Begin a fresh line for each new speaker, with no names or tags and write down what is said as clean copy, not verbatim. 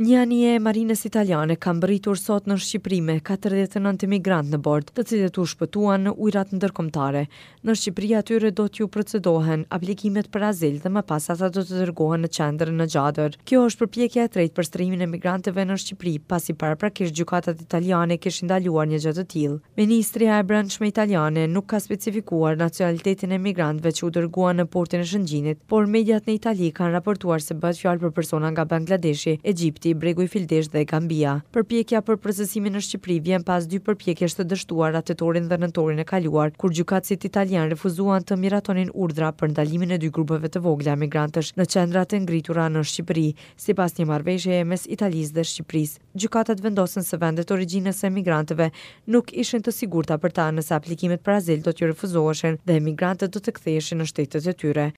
Një anije e marinës italiane ka mbërritur sot në Shqipëri me 49 emigrantë në bord, të cilët u shpëtuan në ujërat ndërkombëtare. Në Shqipëri atyre do t'ju procedohen aplikimet për azil dhe më pas ata do të dërgohen në qendër në Gjadër. Kjo është përpjekja e tretë për strehimin e emigrantëve në Shqipëri, pasi paraprakisht gjykatat italiane kishin ndaluar një gjë të tillë. Ministria e Brendshme italiane nuk ka specifikuar nacionalitetin e emigrantëve që u dërguan në portin e Shëngjinit, por mediat në Itali kanë raportuar se bëhet fjalë për persona nga Bangladeshi, Egjipti, Bregu i Fildishtë dhe Gambia. Përpjekja për procesimin në Shqipëri vjen pas dy përpjekjesh të dështuara tetorin dhe nëntorin e kaluar, kur gjykatësit italianë refuzuan të miratonin urdhra për ndalimin e dy grupeve të vogla emigrantësh në qendrat e ngritura në Shqipëri, sipas një marrëveshjeje mes Italisë dhe Shqipërisë. Gjykatat vendosën se vendet e origjinës së emigrantëve nuk ishin të sigurta për ta nëse aplikimet për azil do t'ju refuzoheshin dhe emigrantët do të ktheheshin në shtetet e tyre.